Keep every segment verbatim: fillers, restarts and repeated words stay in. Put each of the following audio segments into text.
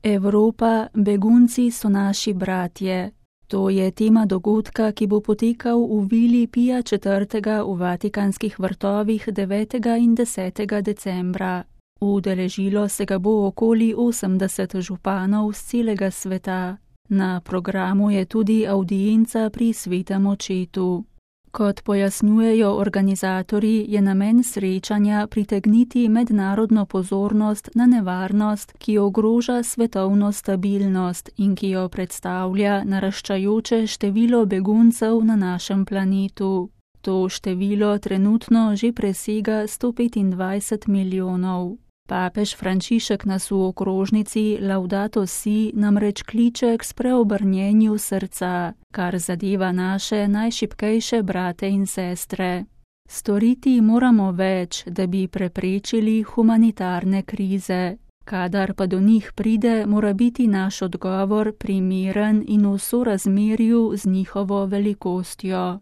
Evropa, begunci so naši bratje. To je tema dogodka, ki bo potekal v vili Pija četrtega v Vatikanskih vrtovih devetega in desetega decembra. Udeležilo se ga bo okoli osemdeset županov z celega sveta. Na programu je tudi avdienca pri svetem očetu. Kot pojasnjujejo organizatorji, je namen srečanja pritegniti mednarodno pozornost na nevarnost, ki ogroža svetovno stabilnost in ki jo predstavlja naraščajoče število beguncev na našem planetu. To število trenutno že presega sto petindvajset milijonov. Papež Frančišek nas v okrožnici Laudato Si namreč kliče k spreobrnjenju srca, kar zadeva naše najšibkejše brate in sestre. Storiti moramo več, da bi preprečili humanitarne krize. Kadar pa do njih pride, mora biti naš odgovor primeren in v sorazmerju z njihovo velikostjo.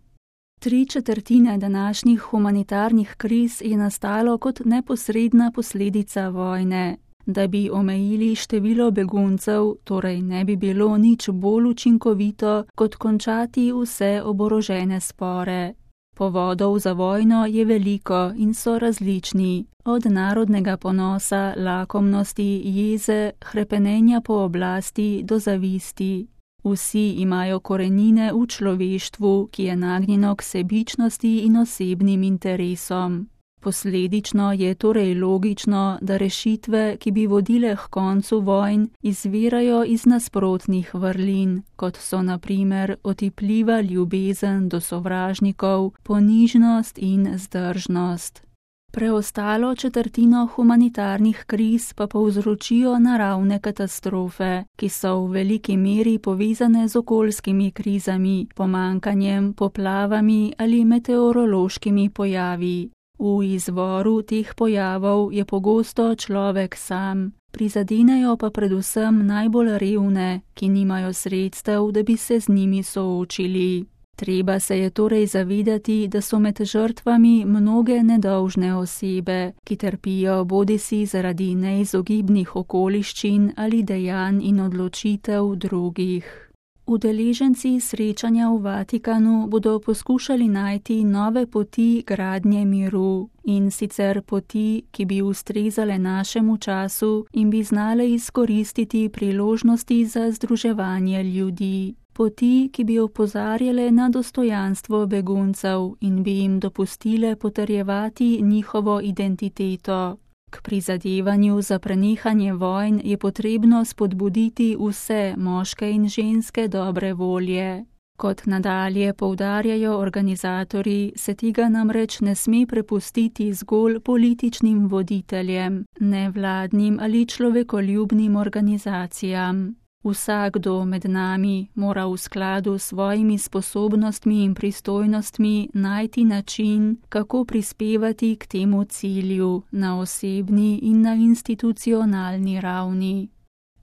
Tri četrtine današnjih humanitarnih kriz je nastalo kot neposredna posledica vojne. Da bi omejili število beguncev, torej ne bi bilo nič bolj učinkovito, kot končati vse oborožene spore. Povodov za vojno je veliko in so različni, od narodnega ponosa, lakomnosti, jeze, hrepenenja po oblasti do zavisti. Vsi imajo korenine v človeštvu, ki je nagnjeno k sebičnosti in osebnim interesom. Posledično je torej logično, da rešitve, ki bi vodile k koncu vojn, izvirajo iz nasprotnih vrlin, kot so na primer otipljiva ljubezen do sovražnikov, ponižnost in zdržnost. Preostalo četrtino humanitarnih kriz pa povzročijo naravne katastrofe, ki so v veliki meri povezane z okoljskimi krizami, pomanjkanjem, poplavami ali meteorološkimi pojavi. V izvoru teh pojavov je pogosto človek sam, prizadenejo pa predvsem najbolj revne, ki nimajo sredstev, da bi se z njimi soočili. Treba se je torej zavedati, da so med žrtvami mnoge nedolžne osebe, ki trpijo bodisi zaradi neizogibnih okoliščin ali dejanj in odločitev drugih. Udeleženci srečanja v Vatikanu bodo poskušali najti nove poti gradnje miru, in sicer poti, ki bi ustrezale našemu času in bi znale izkoristiti priložnosti za združevanje ljudi. Poti, ki bi opozarjale na dostojanstvo beguncev in bi jim dopustile potrjevati njihovo identiteto. K prizadevanju za prenehanje vojn je potrebno spodbuditi vse moške in ženske dobre volje. Kot nadalje poudarjajo organizatorji, se tega namreč ne sme prepustiti zgolj političnim voditeljem, nevladnim ali človekoljubnim organizacijam. Vsakdo med nami mora v skladu s svojimi sposobnostmi in pristojnostmi najti način, kako prispevati k temu cilju na osebni in na institucionalni ravni.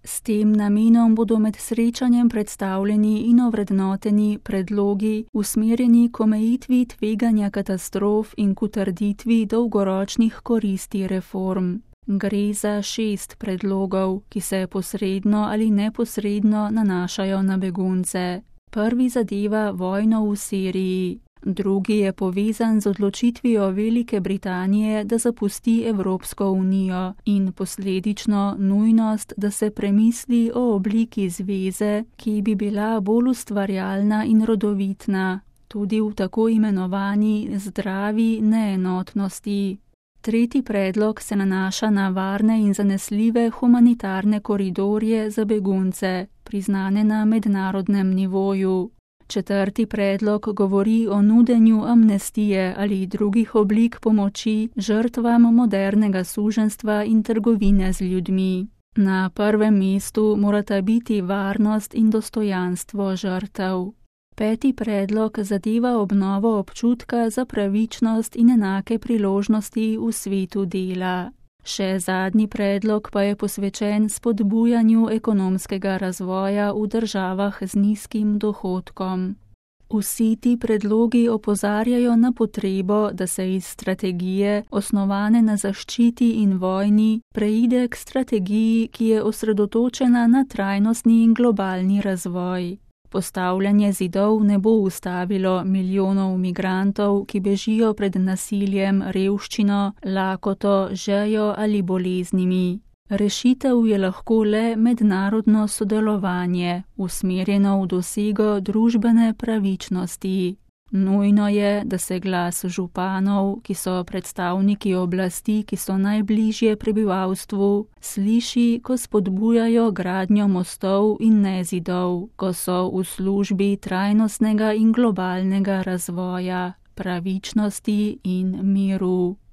S tem namenom bodo med srečanjem predstavljeni in ovrednoteni predlogi usmerjeni k omejitvi tveganja katastrof in k utrditvi dolgoročnih koristi reform. Gre za šest predlogov, ki se posredno ali neposredno nanašajo na begunce. Prvi zadeva vojno v Siriji, drugi je povezan z odločitvijo Velike Britanije, da zapusti Evropsko unijo in posledično nujnost, da se premisli o obliki zveze, ki bi bila bolj ustvarjalna in rodovitna, tudi v tako imenovani zdravi neenotnosti. Tretji predlog se nanaša na varne in zanesljive humanitarne koridorje za begunce, priznane na mednarodnem nivoju. Četrti predlog govori o nudenju amnestije ali drugih oblik pomoči žrtvam modernega suženjstva in trgovine z ljudmi. Na prvem mestu morata biti varnost in dostojanstvo žrtev. Peti predlog zadeva obnovo občutka za pravičnost in enake priložnosti v svetu dela. Še zadnji predlog pa je posvečen spodbujanju ekonomskega razvoja v državah z nizkim dohodkom. Vsi ti predlogi opozarjajo na potrebo, da se iz strategije, osnovane na zaščiti in vojni, preide k strategiji, ki je osredotočena na trajnostni in globalni razvoj. Postavljanje zidov ne bo ustavilo milijonov migrantov, ki bežijo pred nasiljem, revščino, lakoto, žejo ali boleznimi. Rešitev je lahko le mednarodno sodelovanje, usmerjeno v dosego družbene pravičnosti. Nujno je, da se glas županov, ki so predstavniki oblasti, ki so najbližje prebivalstvu, sliši, ko spodbujajo gradnjo mostov in ne zidov, ko so v službi trajnostnega in globalnega razvoja, pravičnosti in miru.